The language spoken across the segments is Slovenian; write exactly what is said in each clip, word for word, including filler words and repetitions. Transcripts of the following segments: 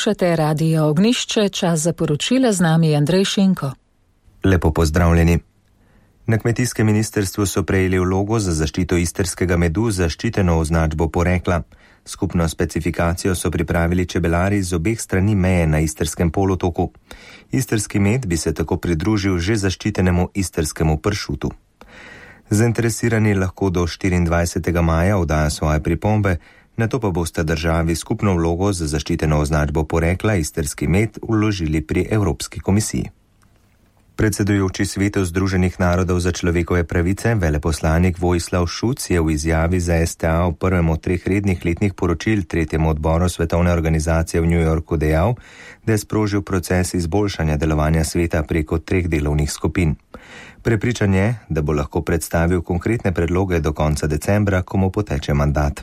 Poslušate Radio Ognjišče, čas za poročila, z nami je Andrej Šinko. Lepo pozdravljeni. Na kmetijskem ministrstvu so prejeli vlogo za zaščito istrskega medu z zaščiteno označbo porekla. Skupno specifikacijo so pripravili čebelari z obeh strani meje na istrskem polotoku. Istrski med bi se tako pridružil že zaščitenemu istrskemu pršutu. Zainteresirani lahko do štiriindvajsetega maja oddajo svoje pripombe, nato pa boste državi skupno vlogo za zaščiteno označbo porekla istrski med vložili pri Evropski komisiji. Predsedujoči Svetu Združenih narodov za človekove pravice, veleposlanik Vojislav Šuc je v izjavi za S T A v prvem od treh rednih letnih poročil tretjemu odboru Svetovne organizacije v New Yorku dejal, da je sprožil proces izboljšanja delovanja sveta preko treh delovnih skupin. Prepričan je, da bo lahko predstavil konkretne predloge do konca decembra, ko mu poteče mandat.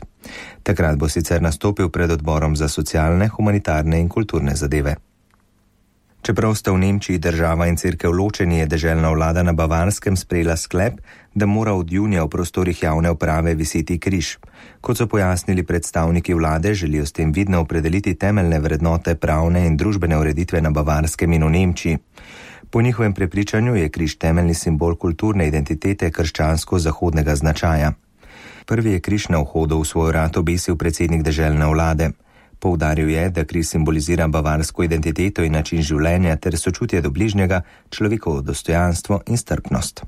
Takrat bo sicer nastopil pred odborom za socialne, humanitarne in kulturne zadeve. Čeprav sta v Nemčiji država in cerkev ločeni, je deželna vlada na Bavarskem sprejela sklep, da mora od junija v prostorih javne uprave viseti križ. Kot so pojasnili predstavniki vlade, želijo s tem vidno opredeliti temeljne vrednote pravne in družbene ureditve na Bavarskem in v Nemčiji. Po njihovem prepričanju je križ temeljni simbol kulturne identitete krščansko-zahodnega značaja. Prvi je križ na vhodu v svoj rad obesil predsednik deželne vlade. Poudaril je, da križ simbolizira bavarsko identiteto in način življenja ter sočutje do bližnjega, človekovo dostojanstvo in strpnost.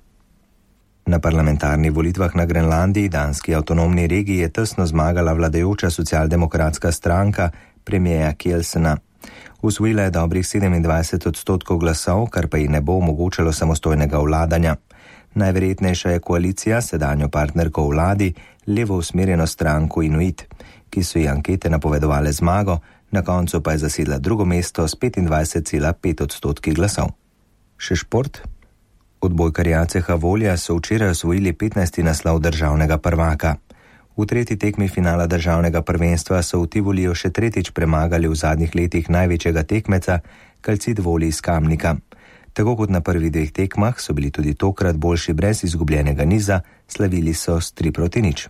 Na parlamentarnih volitvah na Grenlandiji, danski avtonomni regiji, je tesno zmagala vladajoča socialdemokratska stranka premierja Kjelsena. Usvojila je dobrih sedemindvajset odstotkov glasov, kar pa ji ne bo omogočalo samostojnega vladanja. Najverjetnejša je koalicija sedanjo partnerko v vladi, levo usmerjeno stranko Inuit, ki so ji ankete napovedovale zmago, na koncu pa je zasedla drugo mesto s petindvajset cela pet odstotki glasov. Še šport? Odbojkarji A C H Volja so včeraj osvojili petnajsti naslov državnega prvaka. V tretji tekmi finala državnega prvenstva so v Tivoliju še tretjič premagali v zadnjih letih največjega tekmeca, Calcit Voli iz Kamnika. Tako kot na prvih dveh tekmah so bili tudi tokrat boljši brez izgubljenega niza, slavili so s tri proti nič.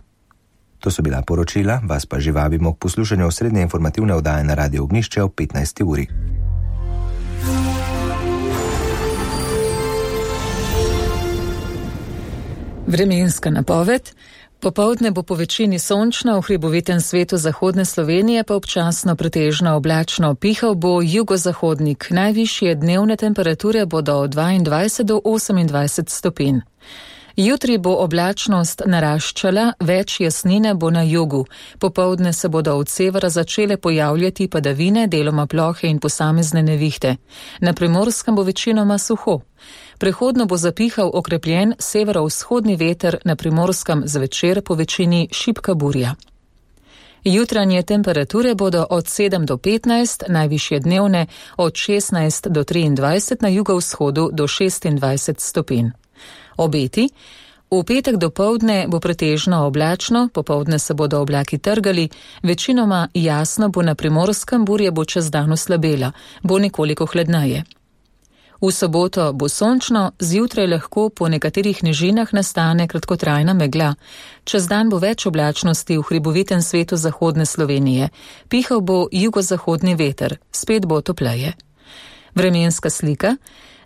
To so bila poročila, vas pa že vabimo k poslušanju osrednje informativne oddaje na Radio Ognjišče ob petnajsti uri. Vremenska napoved. Popoldne bo po večini sončno, v hribovitem svetu zahodne Slovenije pa občasno pretežno oblačno. Pihal bo jugozahodnik. Najvišje dnevne temperature bodo od dvaindvajset do osemindvajset stopinj. Jutri bo oblačnost naraščala, več jasnine bo na jugu. Popoldne se bodo od severa začele pojavljati padavine, deloma plohe in posamezne nevihte. Na Primorskem bo večinoma suho. Prehodno bo zapihal okrepljen severovzhodni veter, na Primorskem zvečer po večini šibka burja. Jutranje temperature bodo od sedem do petnajst, najvišje dnevne od šestnajst do triindvajset, na jugovzhodu do šestindvajset stopinj. Obeti. V petek dopoldne bo pretežno oblačno, popoldne se bodo oblaki trgali, večinoma jasno bo na Primorskem, burja bo čez dan oslabela, bo nekoliko hladneje. V soboto bo sončno, zjutraj lahko po nekaterih nižinah nastane kratkotrajna megla. Čez dan bo več oblačnosti v hribovitem svetu zahodne Slovenije. Pihal bo jugozahodni veter, spet bo topleje. Vremenska slika.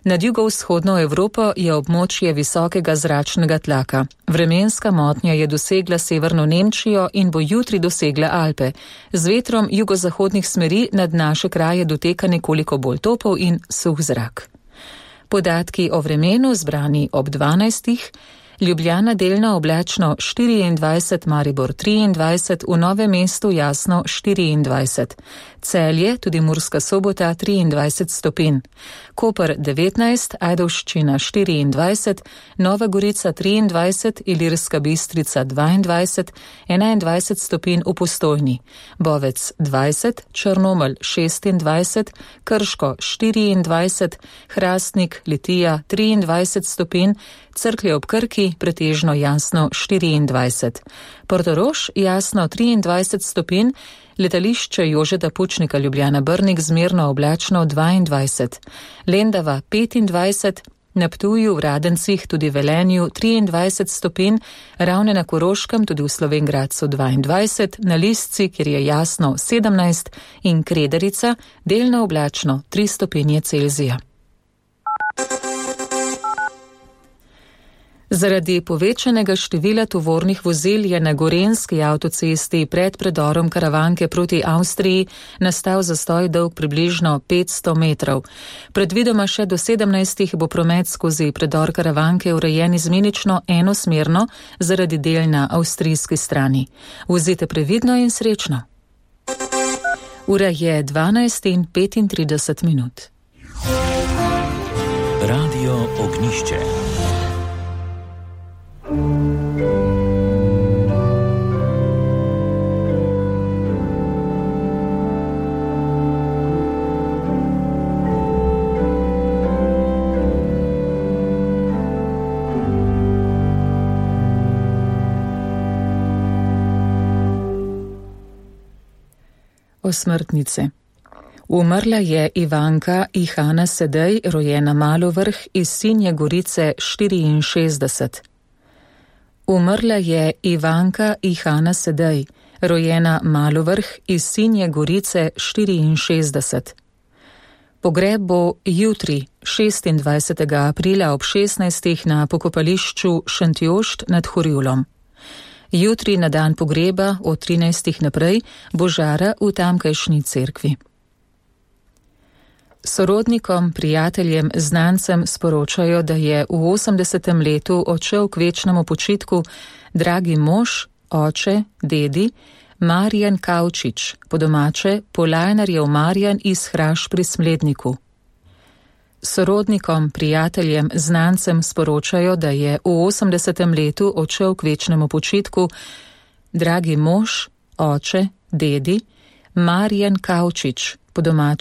Nad jugovzhodno Evropo je območje visokega zračnega tlaka. Vremenska motnja je dosegla severno Nemčijo in bo jutri dosegla Alpe. Z vetrom jugozahodnih smeri nad naše kraje doteka nekoliko bolj topel in suh zrak. Podatki o vremenu zbrani ob dvanajstih. Ljubljana delno oblačno štiriindvajset, Maribor triindvajset, v Novem mestu jasno štiriindvajset. Celje, tudi Murska Sobota triindvajset stopinj. Koper devetnajst, Ajdovščina štiriindvajset, Nova Gorica triindvajset, Ilirska Bistrica dvaindvajset, enaindvajset stopinj v Postojni. Bovec dvajset, Črnomelj šestindvajset, Krško štiriindvajset, Hrastnik, Litija triindvajset stopinj, Cerklje ob Krki pretežno jasno štiriindvajset. Portorož jasno triindvajset stopinj, letališče Jožeta Pučnika Ljubljana Brnik zmerno oblačno dvaindvajset. Lendava petindvajset, na Ptuju, v Radencih, tudi v Velenju triindvajset stopinj, Ravne na Koroškem, tudi v Slovenj Gradcu dvaindvajset, na Lisci, kjer je jasno sedemnajst in Krederica, delno oblačno tri stopinje Celzija. Zaradi povečanega števila tovornih vozil je na Gorenjski avtocesti pred predorom Karavanke proti Avstriji nastal zastoj dolg približno petsto metrov. Predvidoma še do sedemnajstih bo promet skozi predor Karavanke urejen izmenično enosmerno zaradi del na avstrijski strani. Vozite previdno in srečno. Ura je dvanajst in petintrideset minut. Radio Ognišče. Osmrtnice. Umrla je Ivanka Ihana Sedej, rojena Malovrh, iz Sinje Gorice štiriinšestdeset. Umrla je Ivanka Ihana Sedej, rojena Malovrh, iz Sinje Gorice štiriinšestdeset. Pogreb bo jutri, šestindvajsetega aprila ob šestnajstih na pokopališču Šentjošt nad Horjulom. Jutri na dan pogreba od trinajstih naprej bo žara v tamkajšnji cerkvi. Sorodnikom, prijateljem, znancem sporočajo, da je v osemdesetem letu odšel k večnemu počitku dragi mož, oče, dedi, Marjan Kavčič, po domače Polajnarjev Marjan iz Hraš pri Smledniku. Sorodnikom, prijateljem, znancem sporočajo, da je v osemdesetem letu odšel k večnemu počitku dragi mož, oče, dedi, Marjan Kavčič, po domače